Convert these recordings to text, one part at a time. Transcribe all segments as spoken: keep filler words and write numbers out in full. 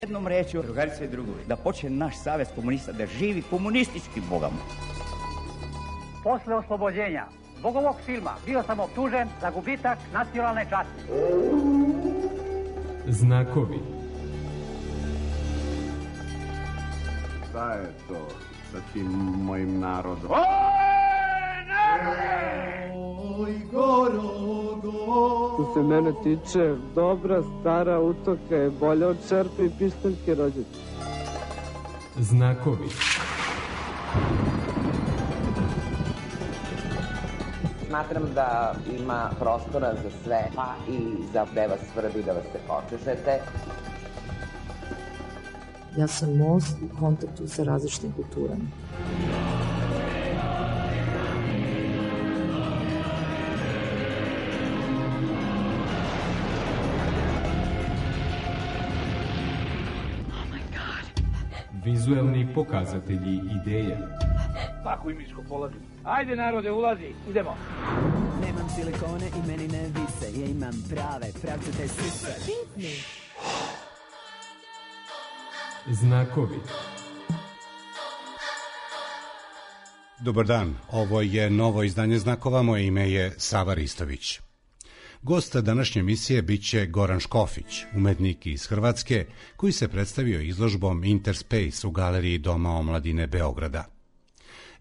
Jednom rečju, drugarice i drugovi, da počne naš savez komunista da živi komunističkim bogom. Posle oslobođenja zbog ovog filma bio sam optužen za gubitak nacionalne časti. Znakovi. Šta je to sa tim mojim narodom? Oj, narode! Oj, Gorogo! Što se mene tiče, dobra stara utoka je bolja od čerpe i pištaljke rođete. Znakovi. Smatram da ima prostora za sve, pa i za gde vas svrbi da vas se počešete. Ja sam most u kontaktu sa različitim kulturama. Vizuelni pokazatelji ideja. Pakuj miško, polazi. Ajde narode, ulazi, idemo. Nemam silikone i meni ne vise, ja imam prave, pravcate sise. Znakovi. Dobar dan, ovo je novo izdanje Znakova, moje ime je Sava Ristović. Gost današnje emisije biće Goran Škofić, umetnik iz Hrvatske, koji se predstavio izložbom Interspace u galeriji Doma omladine Beograda.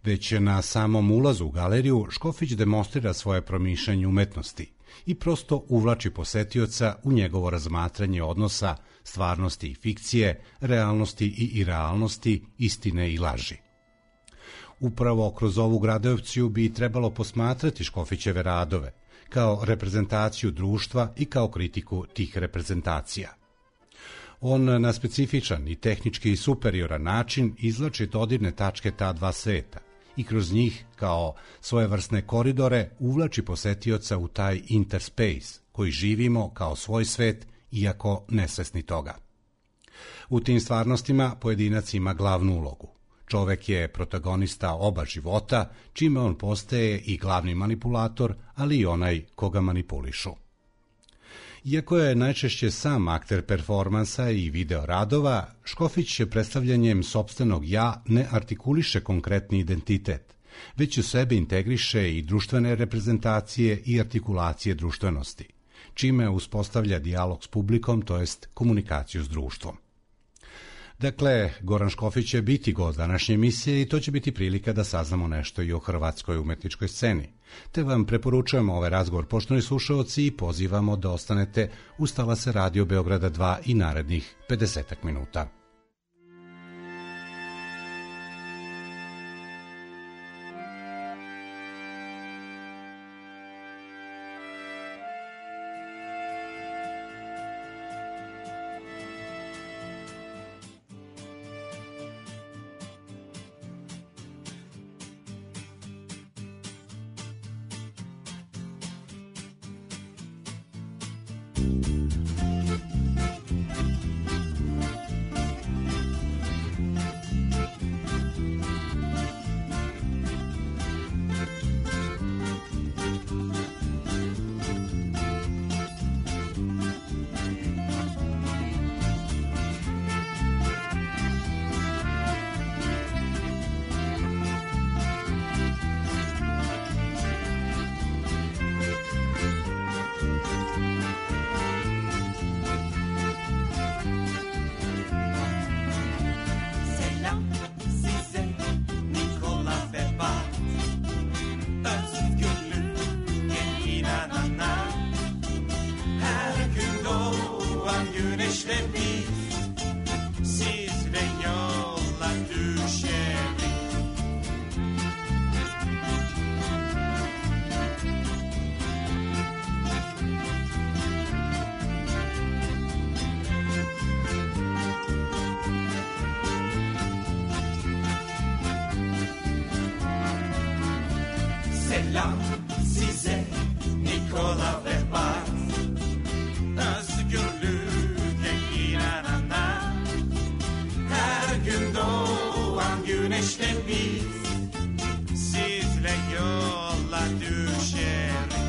Već na samom ulazu u galeriju Škofić demonstrira svoje promišljanje umetnosti i prosto uvlači posetioca u njegovo razmatranje odnosa stvarnosti i fikcije, realnosti i irealnosti, istine i laži. Upravo kroz ovu gradovciju bi trebalo posmatrati Škofićeve radove, kao reprezentaciju društva i kao kritiku tih reprezentacija. On na specifičan i tehnički superioran način izvlači dodirne tačke ta dva sveta i kroz njih, kao svojevrsne koridore, uvlači posetioca u taj interspace koji živimo kao svoj svet, iako nesvesni toga. U tim stvarnostima pojedinac ima glavnu ulogu. Čovek je protagonista oba života, čime on postaje i glavni manipulator, ali i onaj koga manipulišu. Iako je najčešće sam akter performansa i video radova, Škofić predstavljanjem sopstvenog ja ne artikuliše konkretni identitet, već u sebe integriše i društvene reprezentacije i artikulacije društvenosti, čime uspostavlja dijalog s publikom, to jest komunikaciju s društvom. Dakle, Goran Škofić će biti gost današnje emisije i to će biti prilika da saznamo nešto i o hrvatskoj umetničkoj sceni. Te vam preporučujemo ovaj razgovor, poštovani slušaoci, i pozivamo da ostanete uz talase Radio Beograda dva i narednih pedesetak minuta. Selam size Nikola ve Bart, özgürlüğe inanana, her gün doğan güneşle biz sizle yola düşeriz.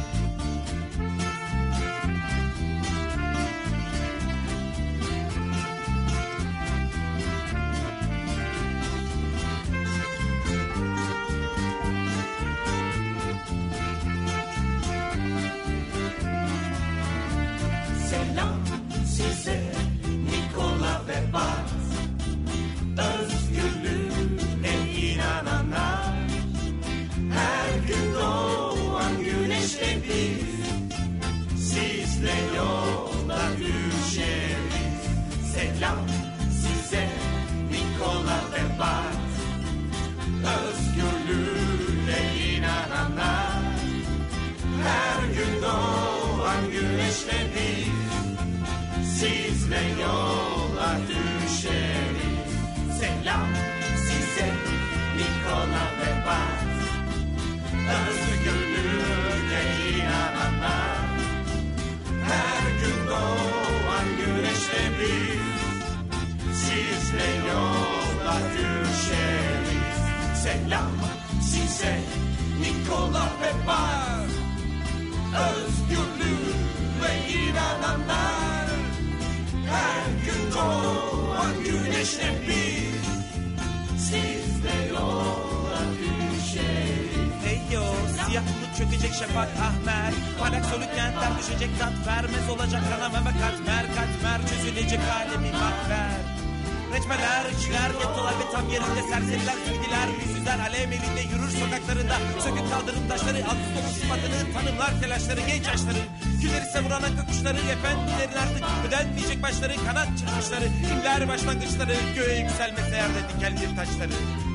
Sizle yola düşeriz. Selam size Nikola ve Bar, özgürlüğe inananlar. Her gün doğan güneşle biz, sizle yola düşeriz. Hey yo, siyah bulut çökecek şafak ahmer, parlak soluk kentler düşecek tat vermez olacak kanamama katmer katmer, çözülecek alemi mahver. Reçmeler, içler, gettolar ve tam yerinde serseriler, silgiler, yüzsüzler, alem elinde yürür sokaklarında. Sökük kaldırım taşları, altı dolu sıfatını tanımlar telaşları, genç yaşları. Külleri savuran aklı kuşları, efendilerin artık ödenmeyecek başları, kanat çırpışları, kimler başlangıçları, göğe yükselmese yerde dikenli taşları.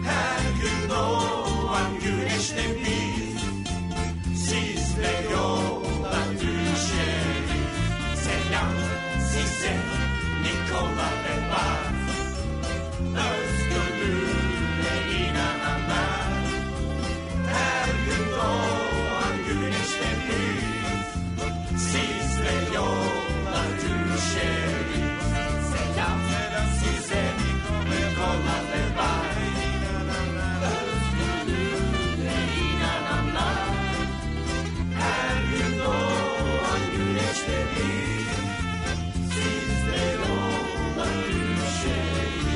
Her gün doğan güneşle biz, sizle yola düşeriz. Selam size Nikola ve Bar, özgürlüğe inananlar. Her gün doğan güneşle biz, sizle yola düşeriz. Selam size Nikola ve Bar, özgürlüğe inananlar. Her gün doğan güneşle biz, sizle yola düşeriz.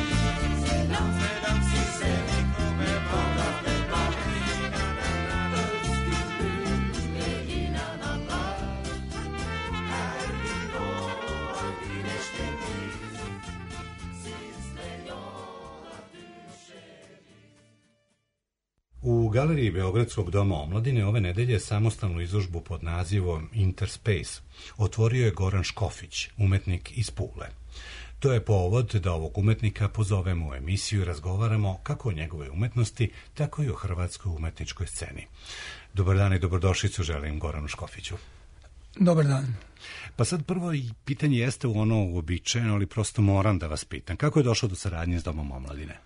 U galeriji Beogradskog doma omladine ove nedelje samostalnu izložbu pod nazivom Interspace otvorio je Goran Škofić, umetnik iz Pule. To je povod da ovog umetnika pozovemo u emisiju i razgovaramo kako o njegove umetnosti, tako i o hrvatskoj umetničkoj sceni. Dobar dan i dobrodošlicu želim Goranu Škofiću. Dobar dan. Pa sad prvo i pitanje jeste u ono uobičajeno, ali prosto moram da vas pitam. Kako je došlo do saradnje s Domom omladine?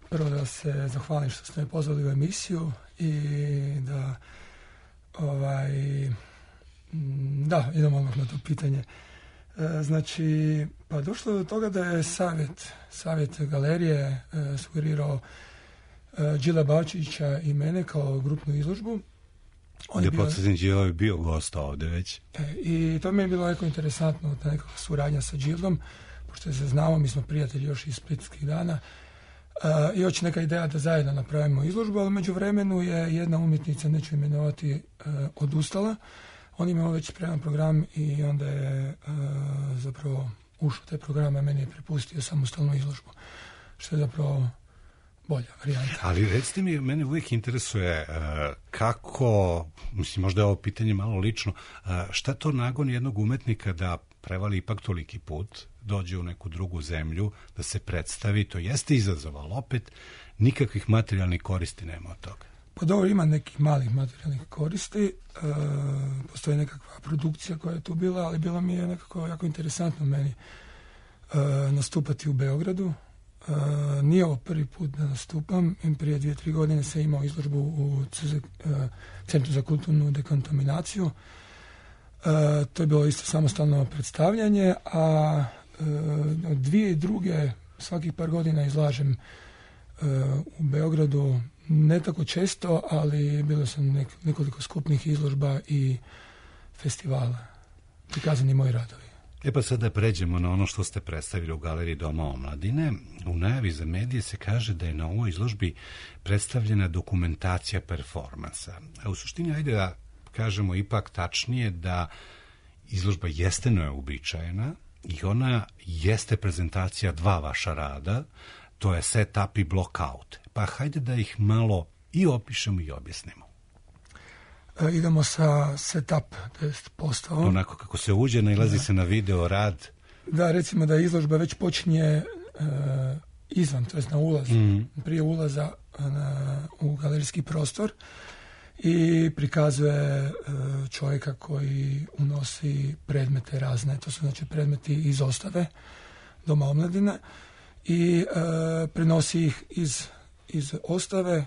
Prvo da se zahvalim što ste me pozvali u emisiju i da ovaj, da, idemo odmah na to pitanje. E, znači, pa došlo do toga da je savjet, savjet galerije e, sugerirao e, Đila Bavčića i mene kao grupnu izložbu. On da podsjetim, Đilo je bio gost ovde već. E, I to mi je bilo jako interesantno, ta nekakva suradnja sa Đilom, pošto se znamo, mi smo prijatelji još iz splitskih dana. Uh, i hoće neka ideja da zajedno napravimo izložbu, ali među vremenu je jedna umjetnica, neću imenovati, uh, odustala. On imao već spreman program i onda je uh, zapravo ušao taj program, a meni je prepustio samostalnu izložbu, što je zapravo bolja varijanta. Ali recite mi, mene uvijek interesuje uh, kako, mislim, možda je ovo pitanje malo lično, uh, šta to nagoni jednog umetnika da prevali ipak toliki put, dođe u neku drugu zemlju, da se predstavi, to jeste izazov, ali opet nikakvih materijalnih koristi nema od toga. Pa dobro, ima nekih malih materijalnih koristi, e, postoji nekakva produkcija koja je tu bila, ali bilo mi je nekako jako interesantno meni e, nastupati u Beogradu. E, nije ovo prvi put da nastupam, i prije dvije, tri godine sam imao izložbu u C Z, e, Centru za kulturnu dekontaminaciju. E, to je bilo isto samostalno predstavljanje, a od dvije i druge svakih par godina izlažem uh, u Beogradu, ne tako često, ali bilo sam nek, nekoliko skupnih izložba i festivala. Prikazani moji radovi. E pa sad da pređemo na ono što ste predstavili u Galeriji Doma omladine. U najavi za medije se kaže da je na ovoj izložbi predstavljena dokumentacija performansa. A u suštini, ajde da kažemo ipak tačnije da izložba jeste neobičajena, i ona jeste prezentacija dva vaša rada, to je set-up i block-out. Pa hajde da ih malo i opišemo i objasnimo. E, idemo sa set-up, to je postavom. Onako kako se uđe, nailazi da. se na video rad. Da, recimo da izložba već počinje e, izvan, to je na ulaz, mm. prije ulaza na, u galerijski prostor, i prikazuje čovjeka koji unosi predmete razne, to su znači predmeti iz ostave Doma omladine, i e, prenosi ih iz, iz ostave e,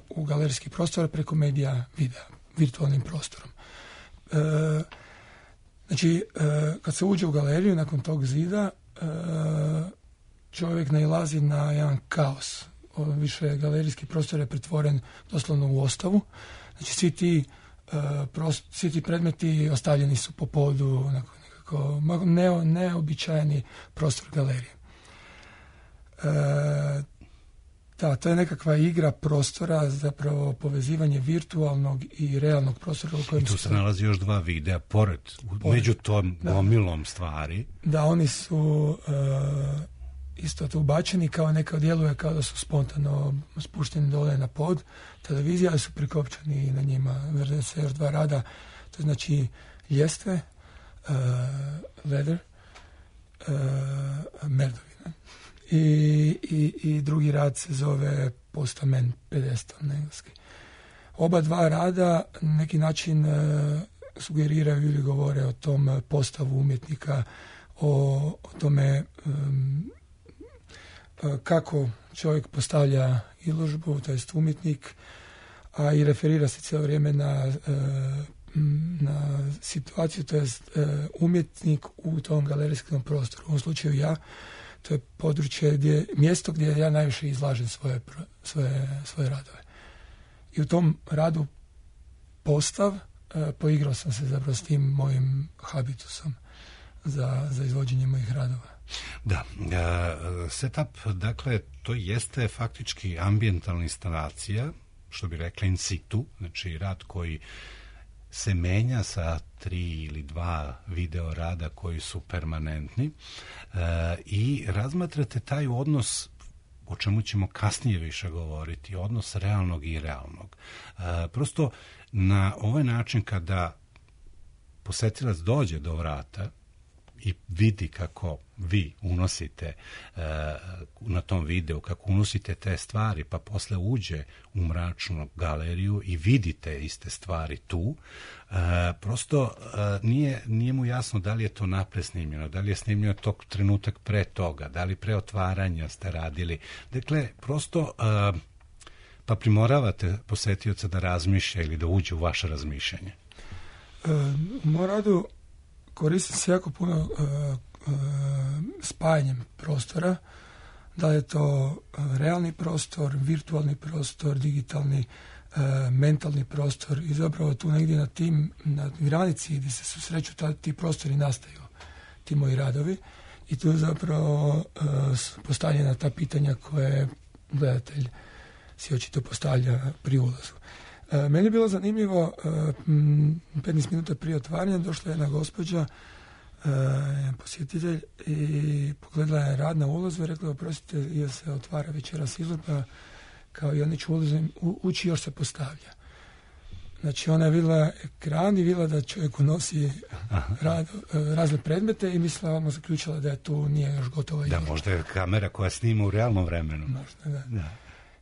u galerijski prostor preko medija videa, virtualnim prostorom. E, znači, e, kad se uđe u galeriju nakon tog zida, e, čovjek nailazi na jedan kaos. Više galerijski prostor je pretvoren doslovno u ostavu. Znači svi ti, uh, prost, svi ti predmeti ostavljeni su po podu, nekako ne, neobičajeni prostor galerije. Uh, da, to je nekakva igra prostora, zapravo povezivanje virtualnog i realnog prostora. U kojem I tu se nalazi još dva videa, pored, pored. među tom gomilom stvari. Da, oni su uh, isto to ubačeni, kao neka djeluje kao da su spontano spušteni dole na pod televizija, ali su prikopčani na njima. Vrde se još dva rada, to znači ljestve, uh, leather, uh, merdovina. I, i, i drugi rad se zove Postament pedestal na engleski. Oba dva rada na neki način uh, sugeriraju ili govore o tom postavu umjetnika, o, o tome um, kako čovjek postavlja izložbu, to jest umjetnik, a i referira se cijelo vrijeme na, na situaciju, to jest umjetnik u tom galerijskom prostoru. U ovom slučaju ja, to je područje, gdje, mjesto gdje ja najviše izlažem svoje, svoje, svoje radove. I u tom radu postav poigrao sam se zapravo s tim mojim habitusom za, za izvođenje mojih radova. Da, uh, setup, dakle, to jeste faktički ambijentalna instalacija, što bi rekla in situ, znači rad koji se menja sa tri ili dva video rada koji su permanentni uh, i razmatrate taj odnos, o čemu ćemo kasnije više govoriti, odnos realnog i realnog. Uh, prosto na ovaj način kada posetilac dođe do vrata i vidi kako vi unosite uh, na tom videu, kako unosite te stvari, pa posle uđe u mračnu galeriju i vidite iste stvari tu, uh, prosto uh, nije, nije mu jasno da li je to napred snimljeno, da li je snimljeno tog trenutak pre toga, da li pre otvaranja ste radili. Dakle, prosto uh, pa primoravate posetioca da razmišlja ili da uđe u vaše razmišljanje. Uh, u moj radu koristim se jako puno uh, uh, spajanjem prostora, da je to uh, realni prostor, virtualni prostor, digitalni, uh, mentalni prostor i zapravo tu negdje na tim, na granici gdje se susreću ta, ti prostori nastaju, ti moji radovi i tu zapravo uh, postavljena ta pitanja koje gledatelj si očito postavlja pri ulazu. Uh, meni je bilo zanimljivo, uh, petnaest minuta prije otvaranja došla je jedna gospođa, uh, jedan posjetitelj i pogledala je rad na ulazu i rekla, oprostite, jer se otvara večeras izložba, kao i ja neću ulazim, u, ući još se postavlja. Znači ona je vidjela ekran i vidjela da čovjek unosi rad, uh, razne predmete i mislila, odmah zaključila da je tu nije još gotova izložba. Da, možda je kamera koja snima u realnom vremenu. Možda, da. da.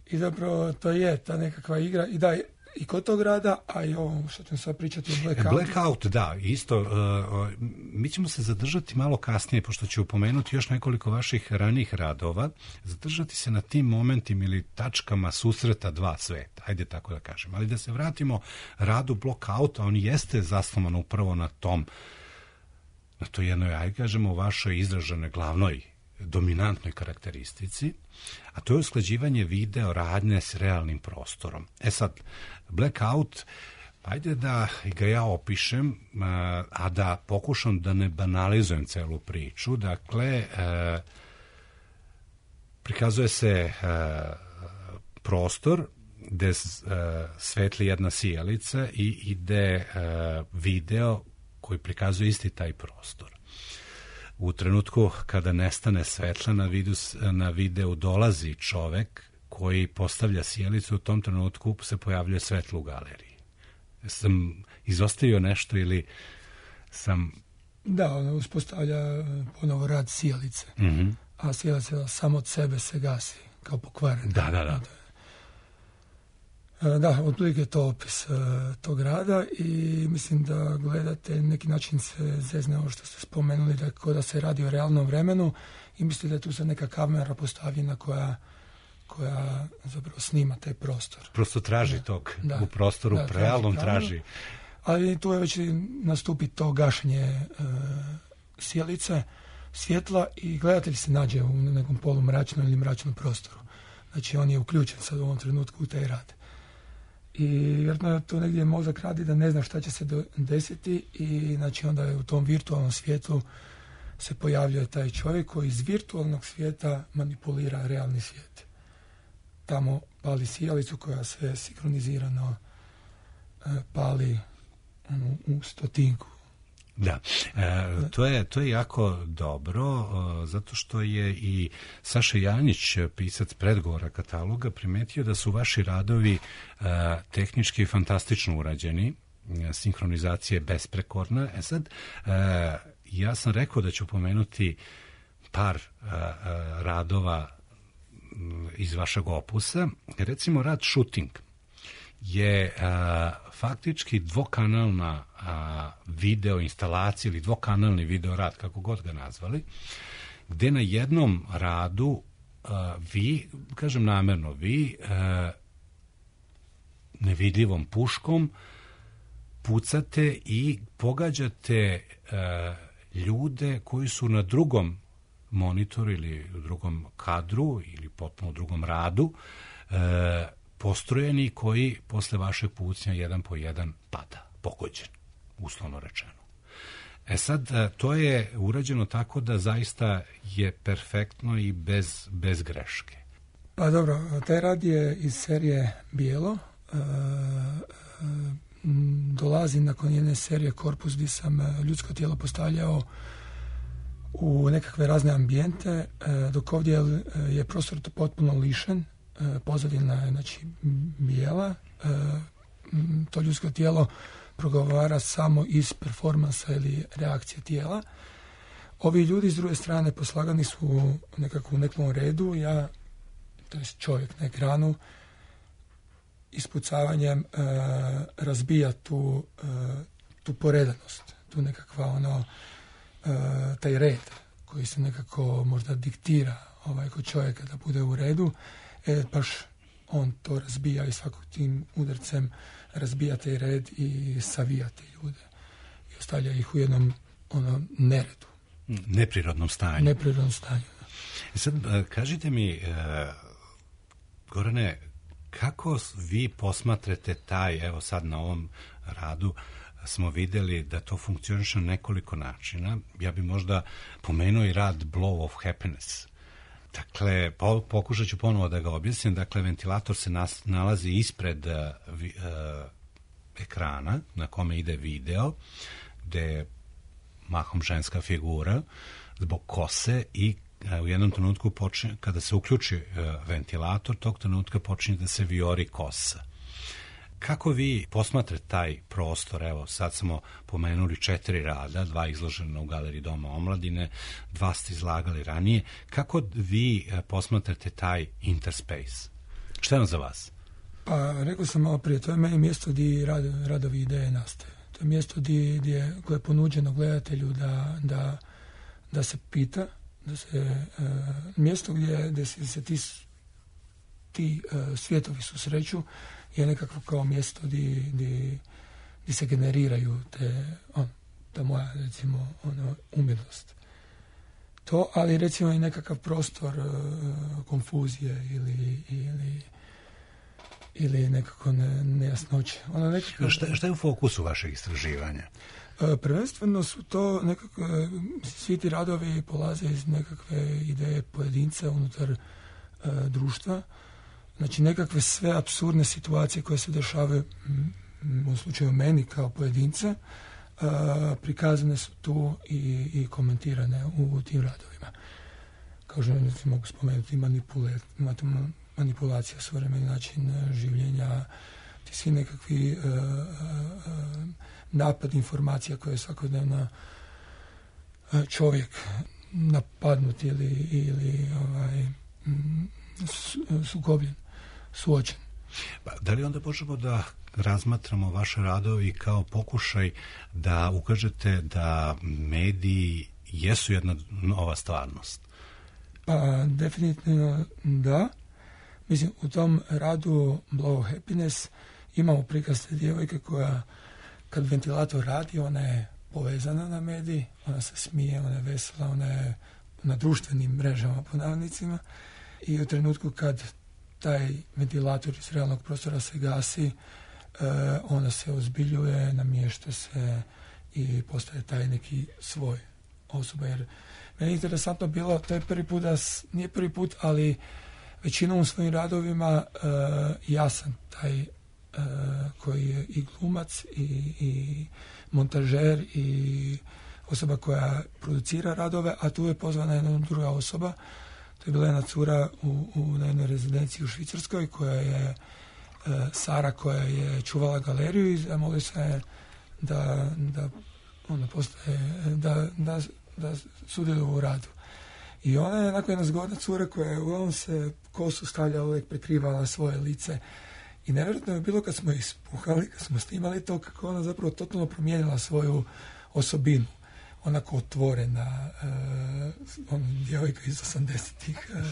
I zapravo to je ta nekakva igra i da i kod tog rada, a i ovo što ćemo sad pričati o Blackout. Blackout, da, isto. Uh, uh, mi ćemo se zadržati malo kasnije, pošto ću upomenuti još nekoliko vaših ranijih radova, zadržati se na tim momentima ili tačkama susreta dva sveta, ajde tako da kažem. Ali da se vratimo radu Blackouta, on jeste zasnovan upravo na tom, na to jednoj, ajde kažemo, vašoj izraženoj glavnoj dominantnoj karakteristici, a to je usklađivanje video radnje s realnim prostorom. E sad, Blackout, ajde da ga ja opišem, a da pokušam da ne banalizujem celu priču. Dakle, prikazuje se prostor gde svetli jedna sijalica i ide video koji prikazuje isti taj prostor. U trenutku kada nestane svetla na, vidu, na videu dolazi čovek koji postavlja sjelicu, u tom trenutku se pojavljuje svetlo u galeriji. Sam izostavio nešto ili sam... Da, ona uspostavlja ponovo rad sjelice, mm-hmm. a sjelica samo od sebe se gasi, kao pokvarena. Da, da, da. Da, otprilike je to opis uh, tog rada i mislim da gledate neki način se zezne ovo što ste spomenuli, da kao da se radi o realnom vremenu i mislite da je tu sad neka kamera postavljena koja, koja zapravo snima taj prostor. Prosto traži da, tog da, u prostoru, da, realnom traži. traži. Ali tu je već nastupi to gašenje uh, sjelice, svjetla i gledatelj se nađe u nekom polumračnom ili mračnom prostoru. Znači on je uključen sad u ovom trenutku u taj rad. I vjerojatno to negdje mozak radi da ne zna šta će se desiti i znači onda je u tom virtualnom svijetu se pojavljuje taj čovjek koji iz virtualnog svijeta manipulira realni svijet. Tamo pali sijalicu koja se sinkronizirano e, pali ono, u stotinku. Da, e, to, je, to je jako dobro, o, zato što je i Saša Janjić, pisac predgovora kataloga, primetio da su vaši radovi e, tehnički fantastično urađeni, e, sinhronizacija je besprekorna. E sad, e, ja sam rekao da ću pomenuti par e, e, radova iz vašeg opusa. Recimo, rad Shooting je a, faktički dvokanalna a, video instalacija ili dvokanalni video rad, kako god ga nazvali, gde na jednom radu a, vi, kažem namerno, vi a, nevidljivom puškom pucate i pogađate a, ljude koji su na drugom monitoru ili u drugom kadru ili potpuno u drugom radu a, postrojeni koji posle vašeg pucnja jedan po jedan pada, pogođen, uslovno rečeno. E sad, to je urađeno tako da zaista je perfektno i bez, bez greške. Pa dobro, taj rad je iz serije Bijelo. E, e, dolazi nakon jedne serije Korpus gdje sam ljudsko tijelo postavljao u nekakve razne ambijente, e, dok ovdje je prostor potpuno lišen. Pozadina je znači bijela, to ljudsko tijelo progovara samo iz performansa ili reakcije tijela. Ovi ljudi s druge strane poslagani su nekako u nekom redu, ja, to je čovjek na ekranu, ispucavanjem razbija tu, tu poredanost, tu nekakva ono, taj red koji se nekako možda diktira ovaj kod čovjeka da bude u redu. E, baš on to razbija i svakog tim udarcem razbija taj red i savija te ljude i ostavlja ih u jednom ono, neredu. Neprirodnom stanju. Neprirodnom stanju, da. Sad, kažite mi, Gorane, kako vi posmatrate taj, evo sad na ovom radu smo vidjeli da to funkcioniše na nekoliko načina. Ja bi možda pomenuo i rad Blow of Happiness. Dakle, po, pokušat ću ponovo da ga objasnim. Dakle, ventilator se nas, nalazi ispred uh, vi, uh, ekrana na kome ide video, gde je mahom ženska figura zbog kose i uh, u jednom trenutku počinje, kada se uključi uh, ventilator, tog trenutka počinje da se vijori kosa. Kako vi posmatrate taj prostor? Evo, sad smo pomenuli četiri rada, dva izložena u Galeriji Doma omladine, dva ste izlagali ranije. Kako vi posmatrate taj interspace? Šta je on za vas? Pa, rekao sam malo prije, to je meni mjesto gdje rad, radovi ideje nastaju. To je mjesto gdje, gdje, koje je ponuđeno gledatelju da, da, da se pita, da se, uh, mjesto gdje, gdje se, se ti, ti uh, svijetovi susreću, je nekako kao mjesto gdje, gdje, gdje se generiraju te, on, ta moja, recimo, ono, umjetnost. To, ali recimo i nekakav prostor uh, konfuzije ili, ili, ili nekako ne, nejasnoće. Ono nekako, šta, šta je u fokusu vašeg istraživanja? Uh, prvenstveno su to nekako, uh, svi ti radovi polaze iz nekakve ideje pojedinca unutar uh, društva. Znači, nekakve sve apsurdne situacije koje se dešavaju u slučaju meni kao pojedince, uh, prikazane su tu i, i komentirane u, u tim radovima. Kao što mogu spomenuti manipule, manipulacija, suvremeni način življenja, ti svi nekakvi uh, uh, napad informacija koje je svakodnevno uh, čovjek napadnut ili, ili ovaj, sukobljen, suočen. Pa, da li onda možemo da razmatramo vaše radovi kao pokušaj da ukažete da mediji jesu jedna nova stvarnost? Pa, definitivno da. Mislim, u tom radu Blow Happiness imamo prikaz te djevojke koja, kad ventilator radi, ona je povezana na mediji, ona se smije, ona je vesela, ona je na društvenim mrežama po navodnicima i u trenutku kad taj ventilator iz realnog prostora se gasi, e, ona se ozbiljuje, namješta se i postaje taj neki svoj osoba. Jer meni je interesantno bilo, to je prvi put, da s, nije prvi put, ali većinom u svojim radovima e, ja sam taj e, koji je i glumac i, i montažer i osoba koja producira radove, a tu je pozvana jedna druga osoba. To je bila jedna cura u, u na jednoj rezidenciji u Švicarskoj koja je e, Sara, koja je čuvala galeriju i zamolila se da, da ona postaje, da, da, da sudjeluje u radu. I ona je onako jedna zgodna cura koja je uglavnom se kosu stavljala, uvijek prekrivala svoje lice. I nevjerojatno je bilo kad smo ispuhali, kad smo snimali to, kako ona zapravo totalno promijenila svoju osobinu. Onako otvorena, uh, ona djevojka iz osamdesetih, uh,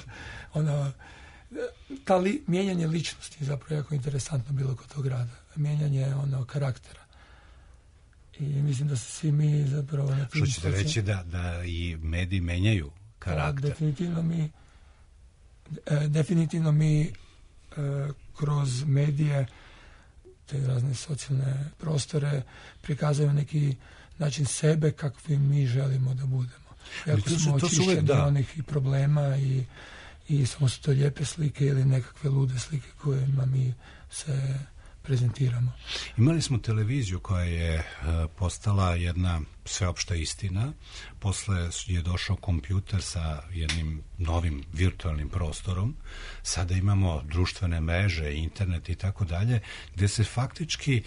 ona, ta li, mijenjanje ličnosti je zapravo jako interesantno bilo kod tog rada. Mijenjanje ono karaktera. I mislim da se svi mi zapravo... Na Što ćete reći će... da, da i mediji menjaju karakter? Da, definitivno mi, e, definitivno mi e, kroz medije, te razne socijalne prostore, prikazujemo neki način sebe kakvi mi želimo da budemo. Jako smo očišćeni onih i problema i, i samo su to lijepe slike ili nekakve lude slike kojima mi se prezentiramo. Imali smo televiziju koja je postala jedna sveopšta istina. Posle je došao kompjuter sa jednim novim virtualnim prostorom. Sada imamo društvene mreže, internet i tako dalje, gdje se faktički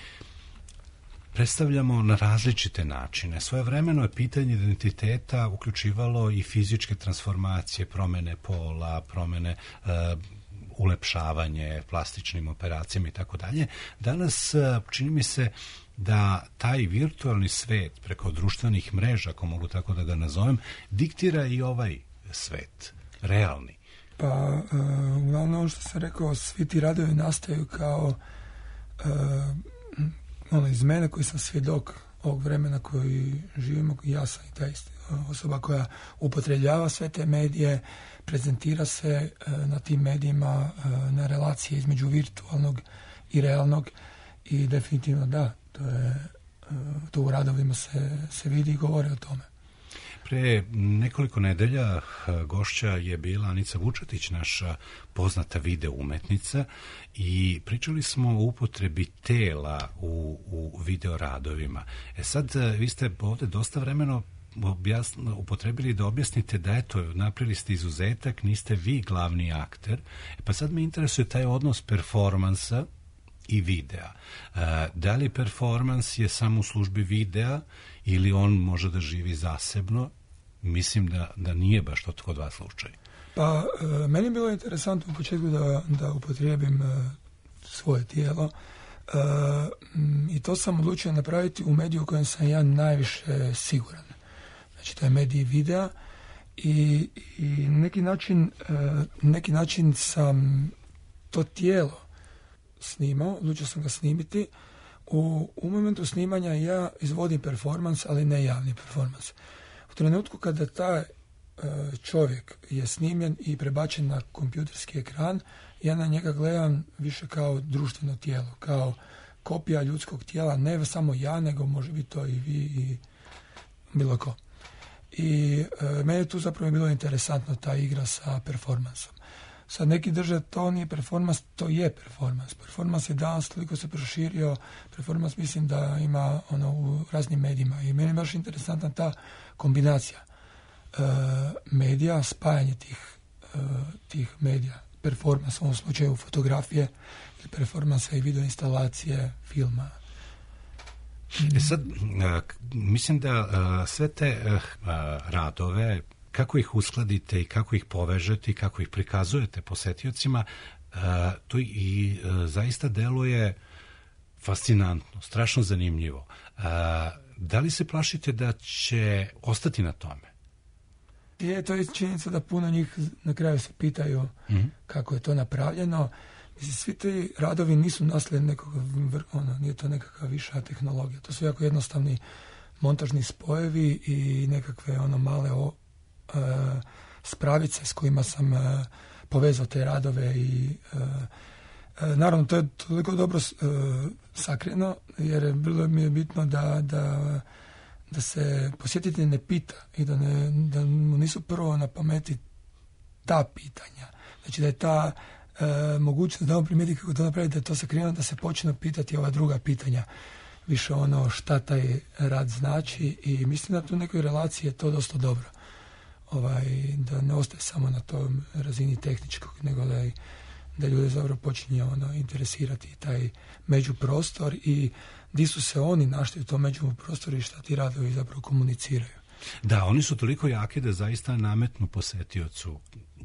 predstavljamo na različite načine. Svojevremeno je pitanje identiteta uključivalo i fizičke transformacije, promjene pola, promjene uh, ulepšavanje plastičnim operacijama i tako dalje. Danas čini mi se da taj virtualni svet preko društvenih mreža, ako mogu tako da ga nazovem, diktira i ovaj svet, realni. Pa, uh, uglavnom ono što sam rekao, svi ti radovi nastaju kao uh, ono iz mene koji sam svjedok ovog vremena koji živimo, ja sam i ta isti osoba koja upotrebljava sve te medije, prezentira se uh, na tim medijima uh, na relacije između virtualnog i realnog i definitivno da, to je uh, to u radovima se, se vidi i govore o tome. Pre nekoliko nedelja gošća je bila Anica Vučetić, naša poznata video umetnica, i pričali smo o upotrebi tela u, u video radovima. E sad, vi ste ovdje dosta vremeno objasn, upotrebili da objasnite da eto, napravili ste izuzetak, niste vi glavni akter. E pa sad me interesuje taj odnos performansa i videa. E, da li performans je samo u službi videa ili on može da živi zasebno? Mislim da, da nije baš to kod vas slučaj. Pa, e, meni je bilo interesantno u početku da, da upotrijebim e, svoje tijelo e, m, i to sam odlučio napraviti u mediju u kojem sam ja najviše siguran. Znači, to je medij videa i, i neki način, e, neki način sam to tijelo snimao, odlučio sam ga snimiti. U, u momentu snimanja ja izvodim performans, ali ne javni performans. U trenutku kada taj e, čovjek je snimljen i prebačen na kompjuterski ekran, ja na njega gledam više kao društveno tijelo, kao kopija ljudskog tijela, ne samo ja, nego može biti to i vi i bilo ko. I e, meni tu zapravo je bilo interesantno ta igra sa performansom. Sad neki drže to nije performans, to je performans. Performans je danas toliko se proširio, performans mislim da ima ono u raznim medijima i meni je baš interesantna ta kombinacija e, medija, spajanje tih, e, tih medija, performans u ovom slučaju fotografije ili performansa i video instalacije, filma. E sad, mislim da sve te radove, kako ih uskladite i kako ih povežete i kako ih prikazujete posetiocima, to i zaista deluje fascinantno, strašno zanimljivo. Da li se plašite da će ostati na tome? Je, to je činjenica da puno njih na kraju se pitaju mm-hmm. kako je to napravljeno. Mislim, svi ti radovi nisu nasled nekog, ono, nije to nekakva viša tehnologija. To su jako jednostavni montažni spojevi i nekakve ono male o, e, spravice s kojima sam e, povezao te radove i e, e, naravno to je toliko dobro e, sakreno jer bilo mi je bitno da, da, da se posjetitelj ne pita i da, ne, da mu nisu prvo na pameti ta pitanja. Znači da je ta e, mogućnost da on primijeti kako to napravi, da je to sakriveno, da se počne pitati ova druga pitanja. Više ono šta taj rad znači i mislim da tu u nekoj relaciji je to dosta dobro. Ovaj, da ne ostaje samo na tom razini tehničkog, nego da, je, da ljude zapravo počinje ono, interesirati taj međuprostor i di su se oni našli u tom međuprostoru i šta ti radovi zapravo komuniciraju. Da, oni su toliko jaki da zaista nametnu posetiocu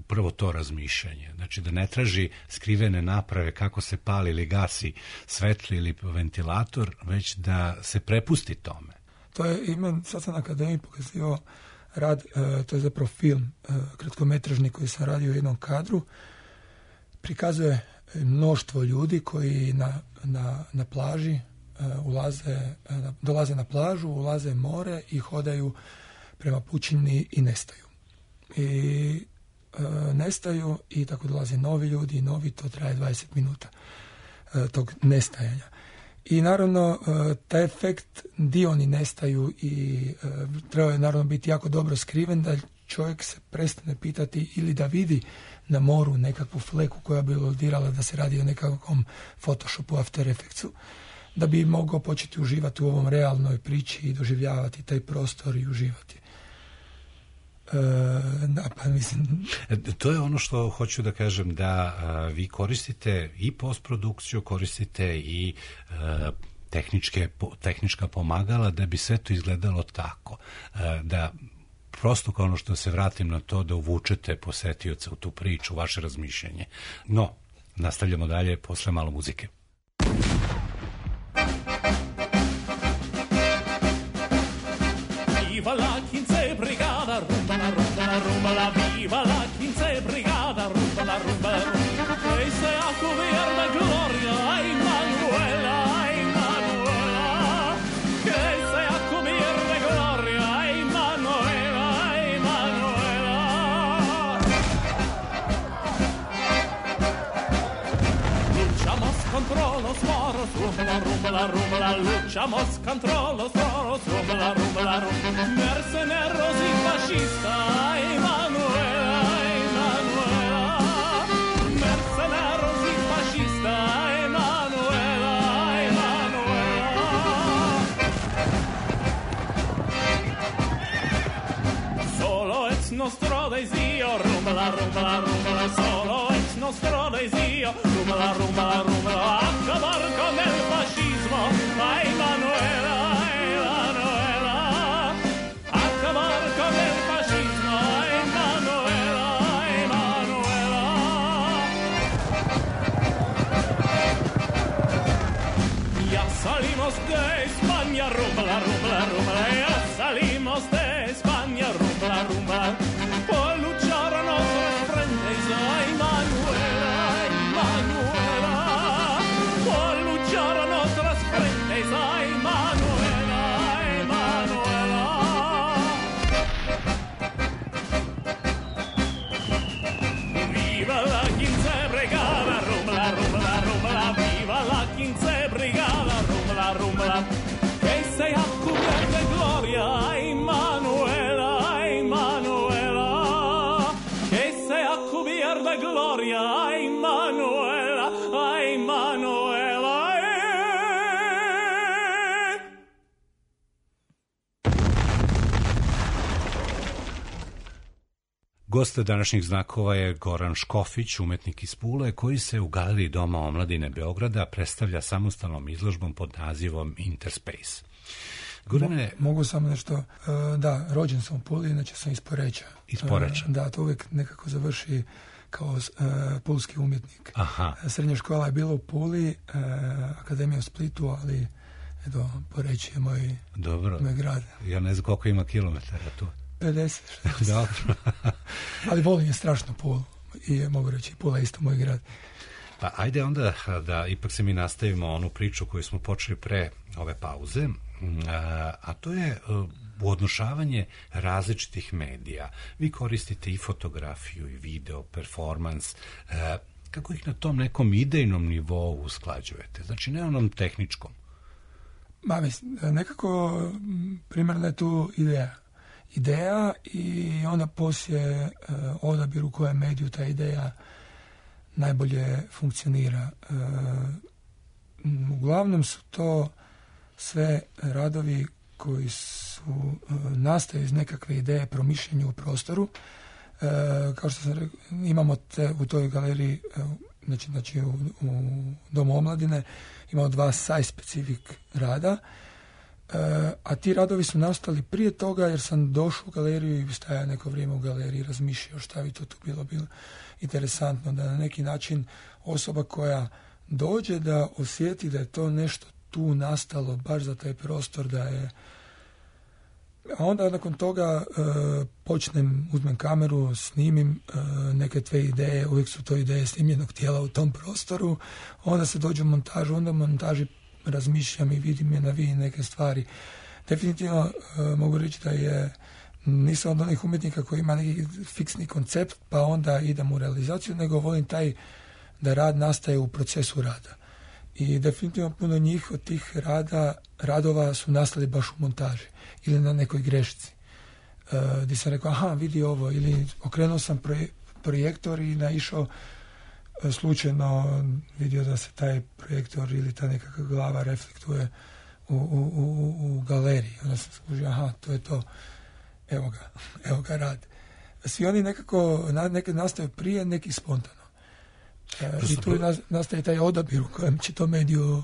prvo to razmišljanje. Znači da ne traži skrivene naprave kako se pali ili gasi svetli ili ventilator, već da se prepusti tome. To je, imam, sad sam na akademiji pokazivao rad, e, to je zapravo film e, kratkometražni koji sam radio u jednom kadru. Prikazuje mnoštvo ljudi koji na, na, na plaži e, ulaze, e, dolaze na plažu, ulaze u more i hodaju prema pučini i nestaju. I e, nestaju i tako dolaze novi ljudi i novi, to traje dvadeset minuta e, tog nestajanja. I naravno, e, taj efekt di oni nestaju i e, treba je naravno biti jako dobro skriven da čovjek se prestane pitati ili da vidi na moru nekakvu fleku koja bi iludirala da se radi o nekakvom Photoshopu, After Effectsu, da bi mogao početi uživati u ovom realnoj priči i doživljavati taj prostor i uživati. E, da, pa mislim... To je ono što hoću da kažem, da a, vi koristite i postprodukciju, koristite i a, tehničke, po, tehnička pomagala da bi sve to izgledalo tako. A, da prosto kao ono što se vratim na to da uvučete posetioca u tu priču, vaše razmišljanje. No, nastavljamo dalje posle malo muzike. Viva la quince brigada, rumba la rumba la rumba la, viva la quince brigada, rumba la rumba la rumba. E se a cubierta gloria, ay Manuela, ay Manuela. Que se a cubierta gloria, ay Manuela, ay Manuela. Luchamos contra los moros, rumba la rumba la rumba la, luchamos contra los moros, rumba la rumba la rumba. Mercenarios y fascistas, ay Manuela, ay Manuela. Mercenarios y fascistas, ay Manuela, ay Manuela. Solo es nostro desio, rumba la rumba la rumba la, solo es nostro desio, rumba la rumba la rumba la, acabar con el fascismo, ay Manuela, ay Manuela. Acabar con el fascismo, ay Manuela, ay Manuela. Ya salimos de España, rumba la rumba la rumba la, ya salimos de España, rumba la rumba, por luchar a nuestros frentes, ay Manuela, ay Manuela, por luchar a nuestras frentes, ay Manuela, ay Manuela. Viva la quince brigada, rumba la rumba la rumba la, viva la quince brigada, rumba la rumba la, que sea cubierta de gloria, ay Manuela, ay Manuela, que sea cubierta de gloria, ay Manuela, ay Manuela. Gost današnjih znakova je Goran Škofić, umetnik iz Pule, koji se u Galeriji Doma omladine Beograda predstavlja samostalnom izložbom pod nazivom Interspace. Gorane... Mo, mogu samo nešto, uh, da, rođen sam u Puli, inače sam iz Poreča. Iz Poreča. Uh, da, to uvijek nekako završi kao uh, pulski umjetnik. Aha. Srednja škola je bila u Puli, uh, akademija u Splitu, ali eto, Poreć je moj, Dobro. moj grad. Ja ne znam koliko ima kilometara tu. pedeset, šezdeset. Dobro. Ali volim je strašno Pulu i mogu reći, Pula je isto moj grad. Pa ajde onda da ipak se mi nastavimo onu priču koju smo počeli pre ove pauze. a, a to je uodnošavanje različitih medija. Vi koristite i fotografiju, i video, performans. A, kako ih na tom nekom idejnom nivou usklađujete? Znači, ne onom tehničkom. Ma, mislim, nekako primarna je tu ideja. Ideja i onda poslije uh, odabir u kojem mediju ta ideja najbolje funkcionira. Uh, uglavnom su to sve radovi koji su uh, nastaju iz nekakve ideje promišljenja u prostoru. Uh, kao što sam rekao, imamo te, u toj galeriji, uh, znači, znači u, u Domu omladine, imamo dva site-specific rada, uh, a ti radovi su nastali prije toga jer sam došao u galeriju i stajao neko vrijeme u galeriji, razmišljao šta bi to tu bilo, bilo interesantno, da na neki način osoba koja dođe da osjeti da je to nešto tu nastalo baš za taj prostor, da je. A onda nakon toga uh, počnem, uzmem kameru, snimim uh, neke tve ideje, uvijek su to ideje snimljenog tijela u tom prostoru, onda se dođe u montažu, onda u montaži razmišljam i vidim je na vi neke stvari. Definitivno uh, mogu reći da je, nisam od onih umjetnika koji ima neki fiksni koncept pa onda idem u realizaciju, nego volim taj da rad nastaje u procesu rada. I definitivno puno njih od tih rada, radova su nastali baš u montaži ili na nekoj grešci. Uh, gdje sam rekao, aha, vidi ovo, ili okrenuo sam proje, projektor i naišao uh, slučajno, vidio da se taj projektor ili ta nekakva glava reflektuje u, u, u, u galeriji. Onda sam skužio, aha, to je to, evo ga, evo ga rad. Svi oni nekako, neke nastaju prije, neki spontano. Uh, I tu nastaje taj odabir u kojem će to mediju uh,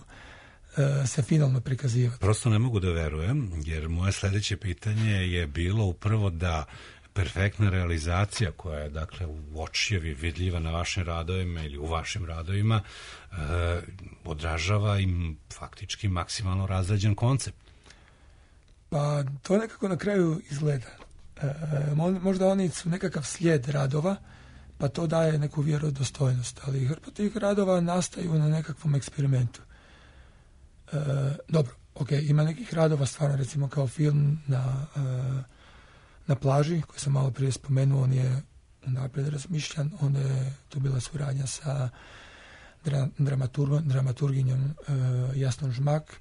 se finalno prikazivati. Prosto ne mogu da verujem, jer moje sljedeće pitanje je bilo upravo da perfektna realizacija koja je, dakle, u očjevi vidljiva na vašim radovima ili u vašim radovima uh, odražava im faktički maksimalno razrađen koncept. Pa to nekako na kraju izgleda. Uh, možda oni su nekakav slijed radova, pa to daje neku vjerodostojnost, ali hrpa tih radova nastaju na nekakvom eksperimentu. E, dobro, ok, ima nekih radova stvarno, recimo kao film na, e, na plaži, koji sam malo prije spomenuo, on je unaprijed razmišljan, onda je to bila suradnja sa dra, dramatur, dramaturginjom e, Jasnom Žmak,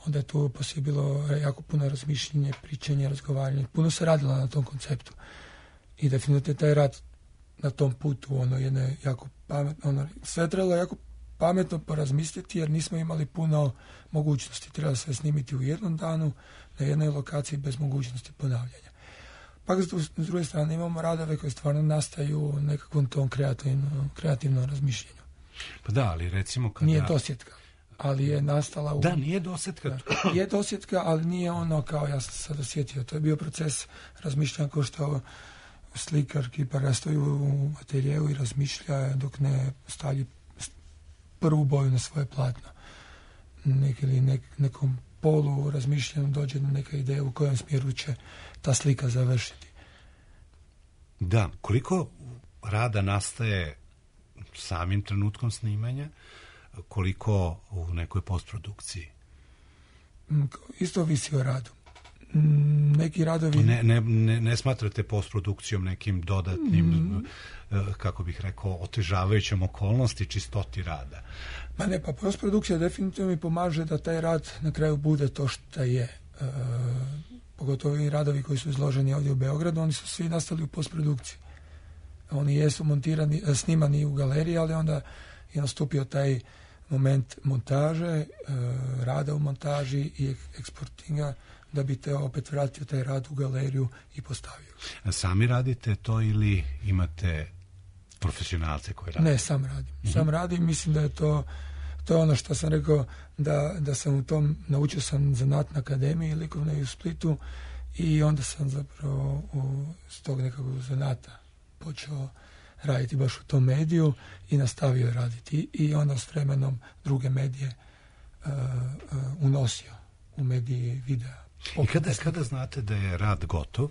onda je tu poslije bilo jako puno razmišljenje, pričanje, razgovaranje, puno se radilo na tom konceptu. I definitivno taj rad na tom putu, ono, jedne jako pametno, ono, sve trebalo jako pametno porazmisliti, jer nismo imali puno mogućnosti. Trebalo sve snimiti u jednom danu, na jednoj lokaciji, bez mogućnosti ponavljanja. Pak, s druge strane, imamo radove koji stvarno nastaju u nekakvom tom kreativnom, kreativnom razmišljenju. Pa da, ali recimo kada... Nije dosjetka, ali je nastala u... Da, nije dosjetka. Da, je dosjetka, ali nije ono kao ja sam sad osjetio. To je bio proces razmišljanja kao što slikar, kipar, stoji u ateljeu i razmišlja dok ne stavlji prvu boju na svoje platno. Nek, ili nek, nekom polu razmišljanju dođe na neka ideja u kojem smjeru će ta slika završiti. Da, koliko rada nastaje samim trenutkom snimanja, koliko u nekoj postprodukciji? Isto visi o radu. Neki radovi... Ne, ne, ne, ne smatrate postprodukcijom nekim dodatnim, mm. kako bih rekao, otežavajućom okolnosti čistoti rada? Ma ne, pa postprodukcija definitivno mi pomaže da taj rad na kraju bude to što je. E, pogotovo i radovi koji su izloženi ovdje u Beogradu, oni su svi nastali u postprodukciji. Oni jesu montirani, snimani u galeriji, ali onda je nastupio taj moment montaže, e, rada u montaži i eksportinga, da bi te opet vratio taj rad u galeriju i postavio. A sami radite to ili imate profesionalce koji rade? Ne, sam radim. Mm-hmm. Sam radim, mislim da je to, to je ono što sam rekao, da, da sam u tom, naučio sam zanat na akademiji likovne u Splitu i onda sam zapravo u, s tog nekakvog zanata počeo raditi baš u tom mediju i nastavio raditi. I onda s vremenom druge medije uh, uh, unosio u mediji videa. I kada, kada znate da je rad gotov,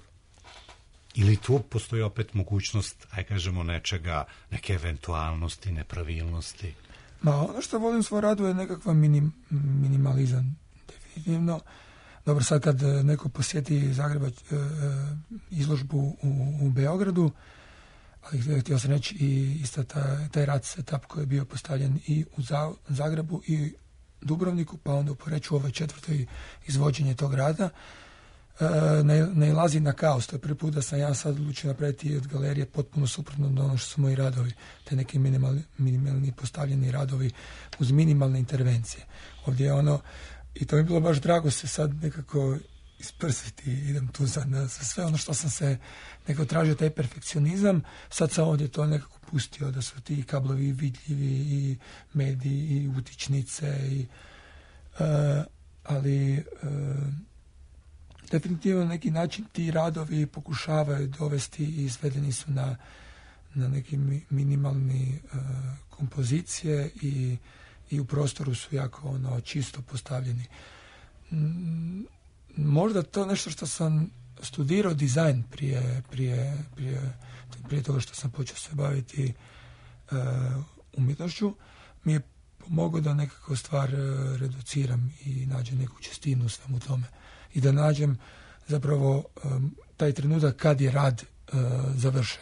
ili tu postoji opet mogućnost, aj kažemo, nečega, neke eventualnosti, nepravilnosti? Ma, ono što volim u svoj radu je nekakva minim, minimalizam, definitivno, dobro, sad kad neko posjeti Zagreba izložbu u, u Beogradu, ali htio sam reći i isto taj, taj rad setup koji je bio postavljen i u Zagrebu i Dubrovniku, pa onda u Poreču ovoj četvrtoj izvođenje tog rada, ne, ne ilazi na kaos. To je prvi put da sam ja sad odlučio napraviti od galerije potpuno suprotno od ono što su moji radovi, te neki minimalni, minimalni postavljeni radovi uz minimalne intervencije. Ovdje je ono, i to mi je bilo baš drago se sad nekako isprsiti, idem tu za, za sve ono što sam se nekako tražio, taj perfekcionizam, sad sam ovdje to nekako pustio, da su ti kablovi vidljivi i mediji i utičnice i, uh, ali uh, definitivno na neki način ti radovi pokušavaju dovesti i svedeni su na, na neki minimalni uh, kompozicije i, i u prostoru su jako ono čisto postavljeni. Mm, možda to nešto što sam studirao dizajn prije, prije, prije, prije toga što sam počeo se baviti uh, umjetnošću, mi je pomogao da nekako stvar uh, reduciram i nađem neku čistinu u svemu tome. I da nađem zapravo um, taj trenutak kad je rad uh, završen.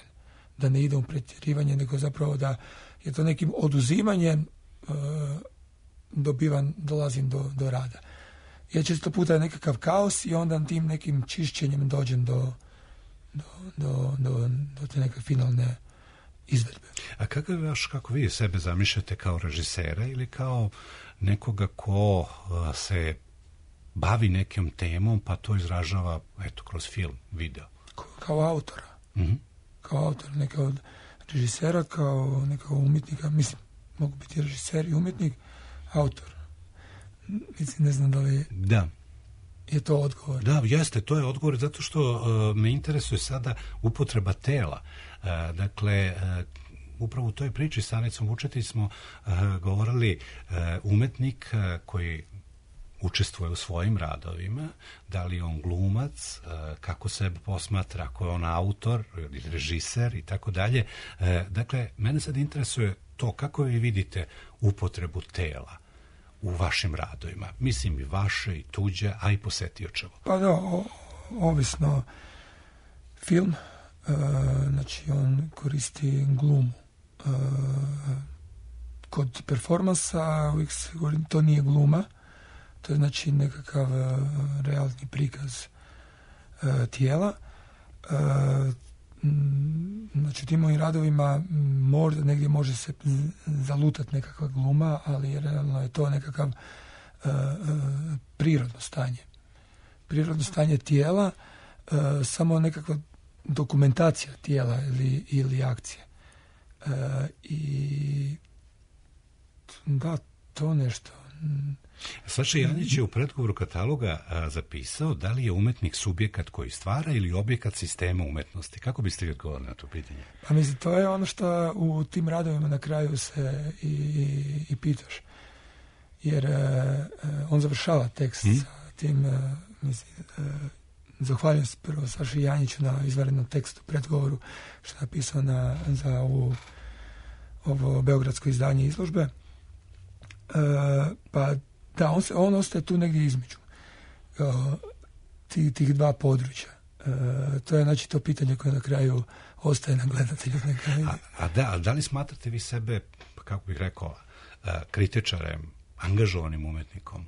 Da ne ide u pretjerivanje, nego zapravo da je to nekim oduzimanjem uh, dobivan, dolazim do, do rada. Ja često puta je nekakav kaos i onda tim nekim čišćenjem dođem do, do, do, do, do te neke finalne izvedbe. A kako, vaš, kako vi sebe zamišljate, kao režisera ili kao nekoga ko uh, se bavi nekom temom pa to izražava eto, kroz film, video? Kao autora. Mm-hmm. Kao autor, neka od režisera, kao neka umjetnika. Mislim, mogu biti režiser i umjetnik, autor. Mislim, ne znam da li da. je to odgovor. Da, jeste, to je odgovor, zato što uh, me interesuje sada upotreba tela. Uh, dakle, uh, upravo u toj priči sa Anicom Vučetić smo uh, govorili uh, umetnik uh, koji učestvuje u svojim radovima, da li je on glumac, uh, kako se posmatra, ako je on autor ili režiser i tako dalje. Uh, dakle, mene sad interesuje to kako vi vidite upotrebu tela u vašim radovima. Mislim i vaše i tuđe, a i posetiočevo. Pa da, o, ovisno film, e, znači on koristi glumu. E, kod performansa uvijek se govori, to nije gluma, to je znači nekakav e, realni prikaz e, tijela. E, znači tim mojim radovima možda negdje može se zalutati nekakva gluma, ali realno je to nekakav uh, uh, prirodno stanje. Prirodno stanje tijela, uh, samo nekakva dokumentacija tijela ili, ili akcije. Uh, I da, to nešto. Saša Janjić je u predgovoru kataloga a, zapisao da li je umetnik subjekat koji stvara ili objekat sistema umetnosti. Kako biste vi odgovorili na to pitanje? Pa mislim, to je ono što u tim radovima na kraju se i, i, i pitaš. Jer uh, on završava tekst hmm? sa tim, uh, mislim, uh, zahvaljujem se prvo Saši Janjiću na izvanrednom tekstu, predgovoru, što je napisao na, za ovu, ovo beogradsko izdanje izložbe. Uh, pa da, on, se, on ostaje tu negdje između uh, tih, tih dva područja. Uh, to je znači to pitanje koje na kraju ostaje na gledatelju. A, a, da, a da li smatrate vi sebe, kako bih rekao, uh, kritičarem, angažovanim umetnikom?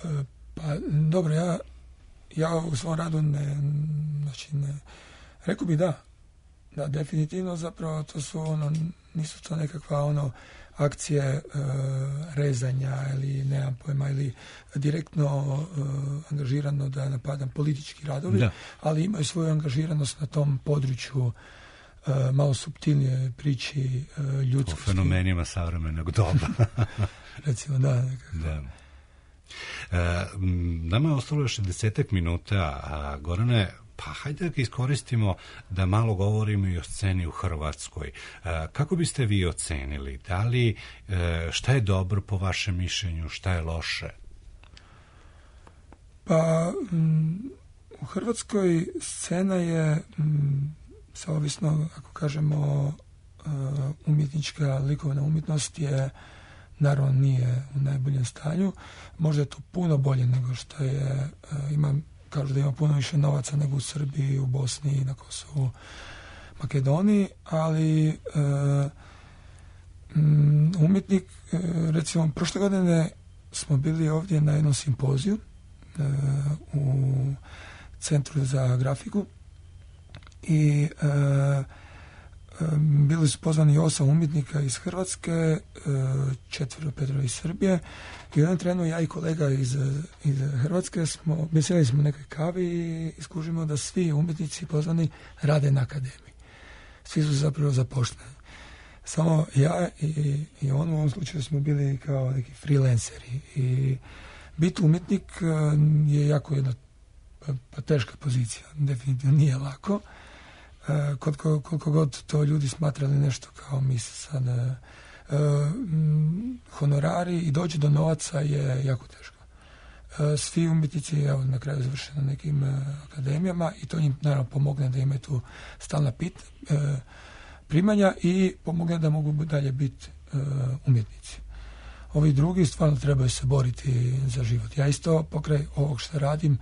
Uh, pa dobro, ja, ja u svom radu ne, znači ne, rekao bih da, da, definitivno zapravo to su ono, nisu to nekakva ono akcije e, rezanja ili nemam pojma ili direktno e, angažirano da napadam politički radovi, da. Ali imaju svoju angažiranost na tom području e, malo suptilnije priči e, ljudskosti. O fenomenima savremenog doba. Recimo, da. Nekako. Da. E, nama je ostalo još desetak minuta, a Gorane, pa hajde da ga iskoristimo da malo govorimo i o sceni u Hrvatskoj. E, kako biste vi ocenili? Da li, e, šta je dobro po vašem mišljenju, šta je loše? Pa, m, u Hrvatskoj scena je, m, sa ovisno, ako kažemo, uh, umjetnička likovna umjetnost je naravno nije u najboljem stanju. Možda je to puno bolje nego što je, ima, kažu da ima puno više novaca nego u Srbiji, u Bosni, na Kosovu, Makedoniji, ali e, m, umjetnik, e, recimo, prošle godine smo bili ovdje na jednom simpoziju e, u Centru za grafiku i e, bili su pozvani osam umjetnika iz Hrvatske, četvero, petero iz Srbije i u jednom trenu ja i kolega iz, iz Hrvatske smo, mislili smo u nekoj kavi i iskužimo da svi umjetnici pozvani rade na akademiji. Svi su zapravo zaposleni. Samo ja i, i on u ovom slučaju smo bili kao neki freelanceri i biti umjetnik je jako jedna pa teška pozicija, definitivno nije lako. Koliko, koliko god to ljudi smatrali nešto kao mi sad uh, honorari i doći do novaca je jako teško. Uh, svi umjetnici evo, na kraju završe na nekim uh, akademijama i to njim naravno pomogne da imaju tu stalna pit, uh, primanja i pomogne da mogu dalje biti uh, umjetnici. Ovi drugi stvarno trebaju se boriti za život. Ja isto pokraj ovog što radim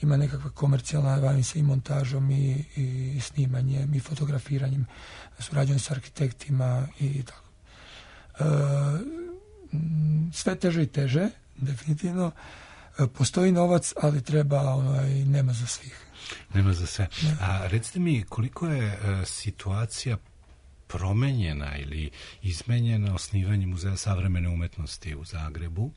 ima nekakva komercijalna, bavim se i montažom i, i snimanjem i fotografiranjem, surađujem s arhitektima i tako. E, sve teže i teže, definitivno. E, postoji novac, ali treba, onaj, nema za svih. Nema za sve. Ne. A recite mi, koliko je e, situacija promenjena ili izmenjena osnivanjem Muzeja savremene umetnosti u Zagrebu?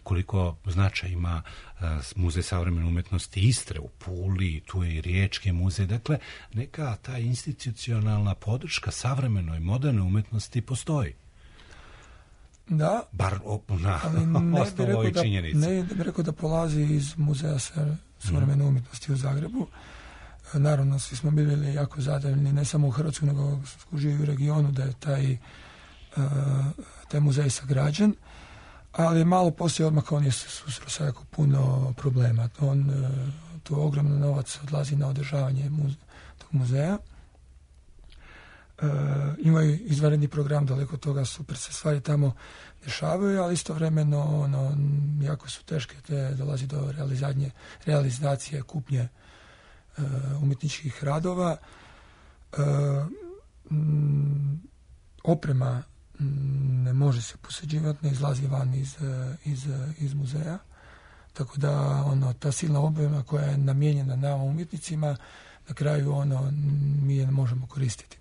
Koliko značaj ima uh, Muzej savremene umetnosti Istre u Puli, tu je i Riječki muzej. Dakle, neka ta institucionalna podrška savremenoj, modernoj umetnosti postoji. Da, bar na osnovu ovih činjenica. Ne bih rekao da polazi iz Muzeja savremene mm. umetnosti u Zagrebu. Naravno, svi smo bili jako zadovoljni, ne samo u Hrvatskoj, nego skužili u regionu da je taj, uh, taj muzej sagrađen. Ali malo poslije odmah on je susreo sa jako puno problema. On, tu ogromno novac odlazi na održavanje muze, tog muzeja. E, imaju izvanredni program, daleko od toga super se stvari tamo dešavaju, ali istovremeno ono, jako su teške, te dolazi do realizacije, realizacije kupnje e, umjetničkih radova. E, m, oprema ne može se posuđivati, ne izlazi van iz, iz, iz muzeja. Tako da ono, ta silna oprema koja je namijenjena nama umjetnicima, na kraju ono, mi je ne možemo koristiti.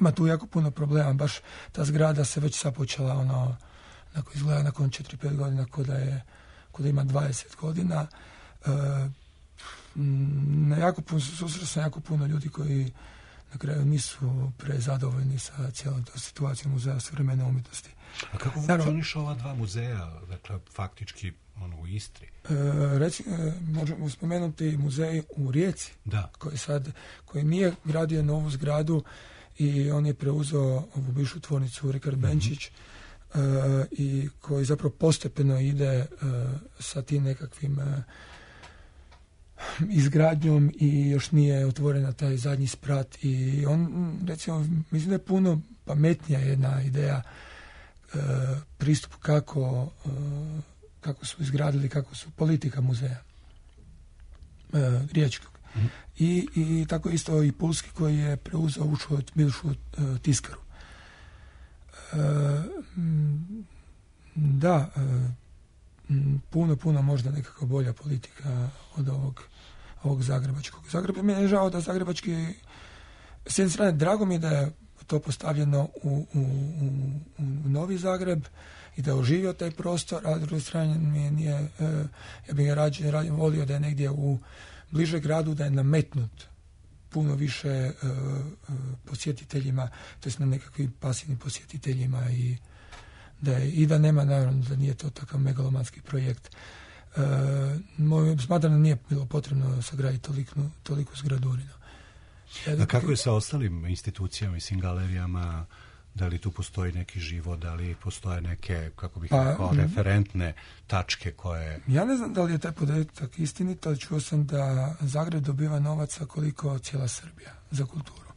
Ima tu jako puno problema, baš ta zgrada se već sad počela ono, nakon izgleda nakon četiri pet godina kod da je kod da ima dvadeset godina. E, na jako puno, susreo sam jako puno ljudi koji na kraju nisu prezadovoljni sa cijelom tom situacijom Muzeja savremene umjetnosti. A kako funkcionišu ova dva muzeja, dakle, faktički ono, u Istri? E, reci, e, možemo spomenuti muzej u Rijeci, da. koji sad, koji nije gradio novu zgradu i on je preuzeo ovu bivšu tvornicu Rikard Benčić mm-hmm. e, i koji zapravo postepeno ide e, sa tim nekakvim e, izgradnjom i još nije otvorena taj zadnji sprat i on, recimo, mislim da je puno pametnija jedna ideja e, pristup kako e, kako su izgradili, kako su politika muzeja e, riječkog. Mm. I, i tako isto i Pulski koji je preuzeo ušu bivšu e, tiskaru. E, da, e, puno, puno možda nekako bolja politika od ovog, ovog zagrebačkog. Zagreb, mi je žao da zagrebački, s jedne strane, drago mi je da je to postavljeno u, u, u, u Novi Zagreb i da je oživio taj prostor, a s druge strane mi je nije, ja bih ga rađe, rađe volio da je negdje u bliže gradu, da je nametnut puno više uh, uh, posjetiteljima, to je na nekakvim pasivnim posjetiteljima i da je, i da nema, naravno, da nije to takav megalomanski projekt. E, moj, smatram da nije bilo potrebno sagraditi toliku, toliku zgradurinu. A kako je sa ostalim institucijama i svim galerijama? Da li tu postoji neki život, da li postoje neke, kako bih rekao, referentne tačke koje... Ja ne znam da li je taj podatak istinit, ali čuo sam da Zagreb dobiva novaca koliko cijela Srbija za kulturu.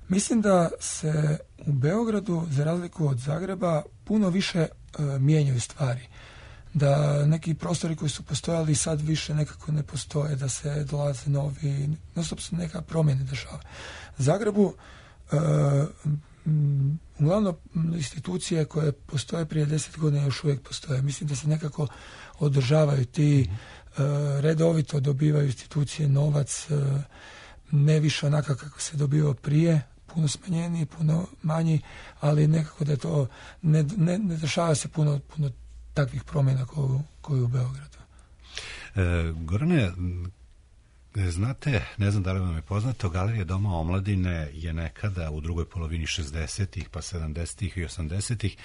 Mislim da se u Beogradu, za razliku od Zagreba, puno više e, mijenjaju stvari. Da neki prostori koji su postojali sad više nekako ne postoje, da se dolaze novi, non-stop se neka promjene dešava. Zagrebu e, m, uglavnom institucije koje postoje prije deset godina još uvijek postoje. Mislim da se nekako održavaju ti, e, redovito dobivaju institucije novac, e, ne više onaka kako se dobivao prije, puno smanjeniji, puno manji, ali nekako da to ne, ne, ne dešava se puno, puno takvih promjena koju, koju u Beogradu. E, Gorane, znate, ne znam da li vam je poznato, Galerija Doma omladine je nekada u drugoj polovini šezdesetih, pa sedamdesetih i osamdesetih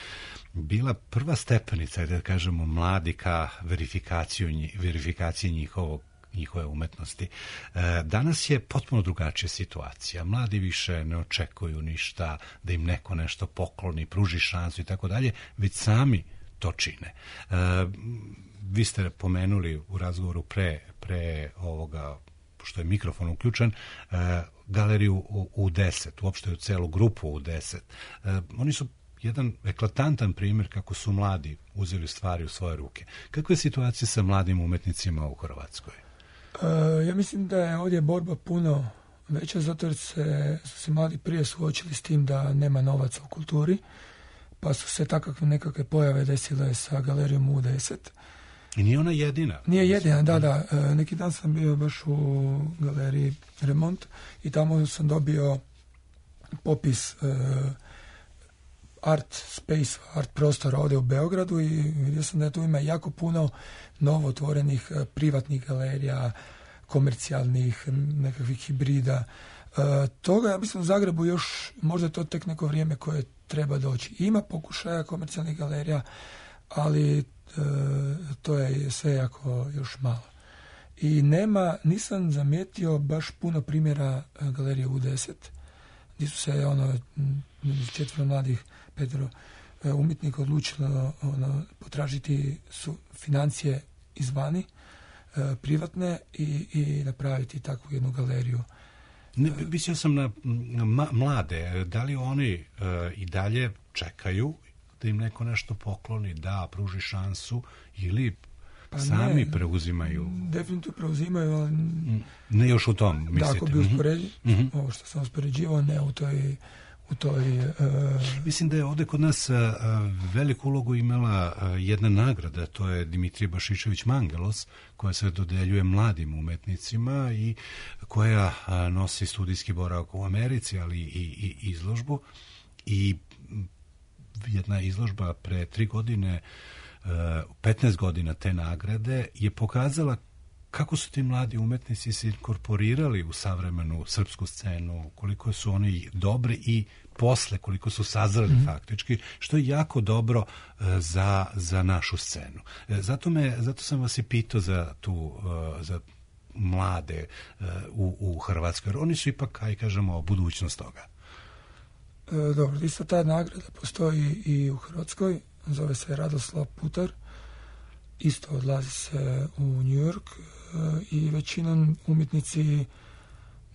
bila prva stepenica, da kažemo, mladi ka verifikaciju, verifikaciji njihovog njihove umetnosti. E, danas je potpuno drugačija situacija. Mladi više ne očekuju ništa, da im neko nešto pokloni, pruži šansu i tako dalje, već sami to čine. E, vi ste pomenuli u razgovoru pre, pre ovoga, što je mikrofon uključen, e, galeriju u, u deset, uopšte u celu grupu u deset. E, oni su jedan eklatantan primjer kako su mladi uzeli stvari u svoje ruke. Kakva je situacija sa mladim umetnicima u Hrvatskoj? Uh, ja mislim da je ovdje borba puno veća, zato jer se, su se mladi prije suočili s tim da nema novaca u kulturi, pa su se takve nekakve pojave desile sa galerijom U deset. I nije ona jedina? Nije jedina, da, da. Uh, neki dan sam bio baš u galeriji Remont i tamo sam dobio popis uh, art space, art prostora ovdje u Beogradu i vidio sam da tu ima jako puno novo otvorenih uh, privatnih galerija, komercijalnih, nekakvih hibrida. Uh, toga, ja mislim, u Zagrebu još, možda je to tek neko vrijeme koje treba doći. Ima pokušaja komercijalnih galerija, ali uh, to je sve jako još malo. I nema, nisam zamijetio baš puno primjera uh, galerije U deset, gdje su se ono, četvero mladih Pedro umjetnika odlučilo ono, potražiti su financije izvani, e, privatne i, i napraviti takvu jednu galeriju. Ne, mislio sam na, na mlade. Da li oni e, i dalje čekaju da im neko nešto pokloni, da pruži šansu, ili pa sami ne, preuzimaju? Definitivno preuzimaju, ali ne još u tom, mislite? Da, ako bi uspoređi, mm-hmm. ovo što sam uspoređivao, ne u toj u toj... Uh... Mislim da je ovdje kod nas uh, veliku ulogu imala uh, jedna nagrada, to je Dimitrije Bašičević Mangelos, koja se dodeljuje mladim umetnicima i koja uh, nosi studijski boravak u Americi, ali i, i izložbu. I jedna izložba pre tri godine, uh, petnaest godina te nagrade, je pokazala kako su ti mladi umetnici se inkorporirali u savremenu srpsku scenu, koliko su oni dobri i posle koliko su sazreli mm-hmm. faktički, što je jako dobro uh, za, za našu scenu. E, zato, me, zato sam vas i pitao za tu uh, za mlade uh, u, u Hrvatskoj, jer oni su ipak, aj kažemo, budućnost toga. E, dobro, isto ta nagrada postoji i u Hrvatskoj, zove se Radoslav Putar, isto odlazi se u New York uh, i većinom umjetnici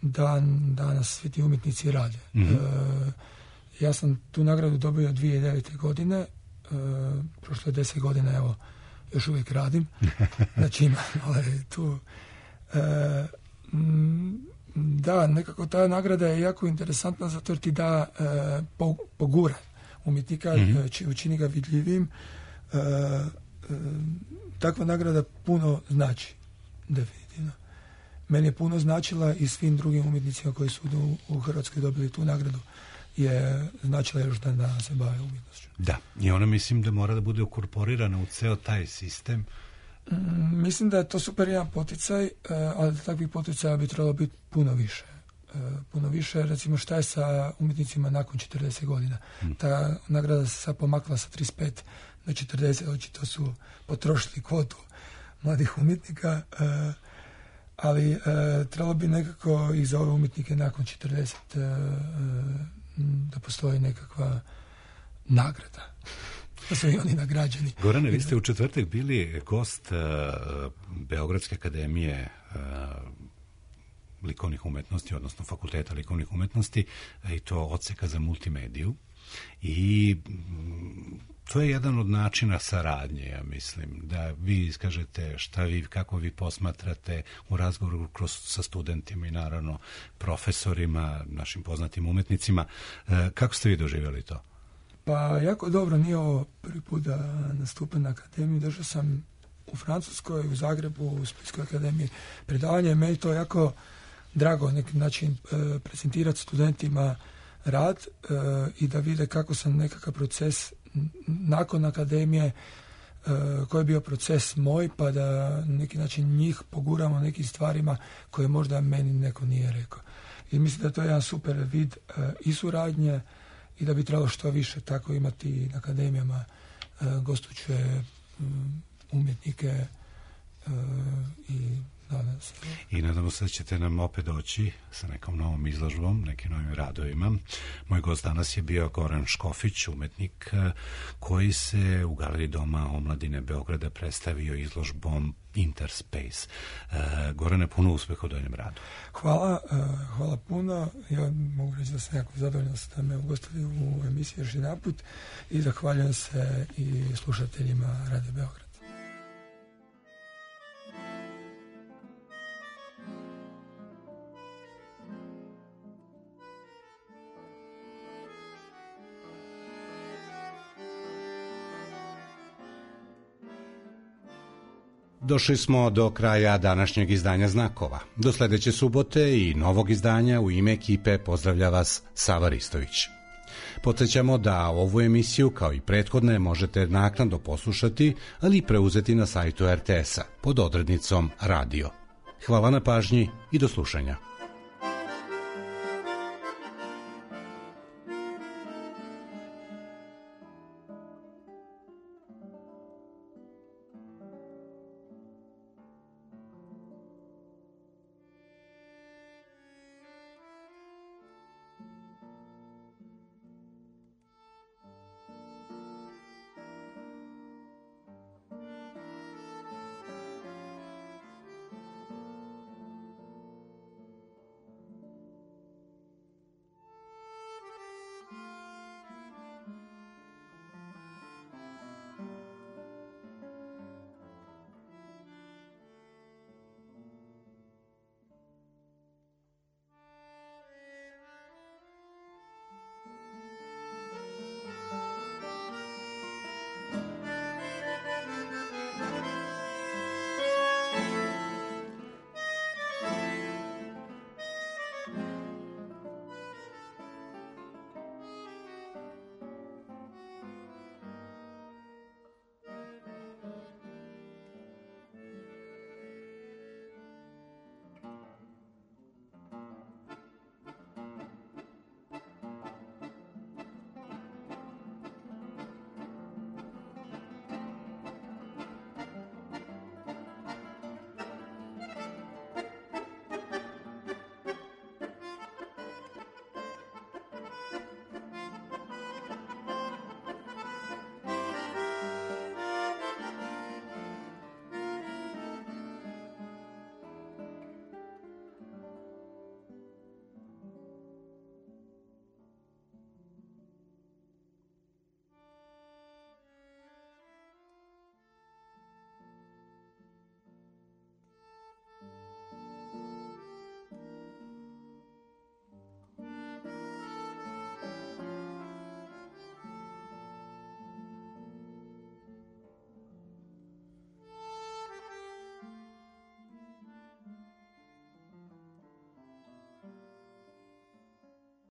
dan, danas svi ti umjetnici rade. Mm-hmm. Uh, ja sam tu nagradu dobio dvije tisuće devete. godine, uh, prošlo je deset godina, evo, još uvijek radim, znači imam ovaj, tu. Uh, m, da, nekako ta nagrada je jako interesantna zato jer ti da uh, po, pogura umjetnika, mm-hmm. či, učini ga vidljivim. Uh, uh, takva nagrada puno znači, definitivno. Meni je puno značila i svim drugim umjetnicima koji su u, u Hrvatskoj dobili tu nagradu je značila još dan da se bave umjetnošću. Da, i ona mislim da mora da bude ukorporirana u ceo taj sistem. Mm, mislim da je to super jedan poticaj, uh, ali takvih poticaja bi trebalo biti puno više. Uh, puno više, recimo šta je sa umjetnicima nakon četrdeset godina. Mm. Ta nagrada se sad pomakla sa trideset pet na četrdeset, očito su potrošili kvotu mladih umjetnika, uh, ali uh, trebalo bi nekako i za ove umjetnike nakon četrdeset uh, da postoji nekakva nagrada. Da su i oni nagrađeni. Gorane, vi ste u četvrtak bili gost uh, Beogradske akademije uh, likovnih umetnosti, odnosno fakulteta likovnih umetnosti, i to odseka za multimediju. I to je jedan od načina saradnje, ja mislim, da vi iskažete šta vi, kako vi posmatrate u razgovoru kroz, sa studentima i naravno profesorima, našim poznatim umetnicima. Kako ste vi doživjeli to? Pa jako dobro, nije ovo prvi put da nastupam na akademiju. Došao sam u Francuskoj, u Zagrebu, u Splitskoj akademiji predavanje. Meni to jako drago na neki način prezentirati studentima rad i da vide kako sam nekakav proces nakon akademije, koji je bio proces moj, pa da na neki način njih poguramo nekim stvarima koje možda meni neko nije rekao. I mislim da to je jedan super vid i suradnje i da bi trebalo što više tako imati na akademijama gostujuće umjetnike i nadam se. I nadamo se da ćete nam opet doći sa nekom novom izložbom, nekim novim radovima. Moj gost danas je bio Goran Škofić, umetnik koji se u Galeriji Doma omladine Beograda predstavio izložbom Interspace. Gorane, puno uspeha u daljem radu. Hvala, hvala puno. Ja mogu reći da sam jako zadovoljan da ste me ugostili u emisiji još jedan put i zahvaljujem se i slušateljima Radio Beograd. Došli smo do kraja današnjeg izdanja Znakova. Do sledeće subote i novog izdanja u ime ekipe pozdravlja vas Sava Ristović. Podsjećamo da ovu emisiju, kao i prethodne, možete naknadno poslušati, ali i preuzeti na sajtu er te esa pod odrednicom Radio. Hvala na pažnji i do slušanja.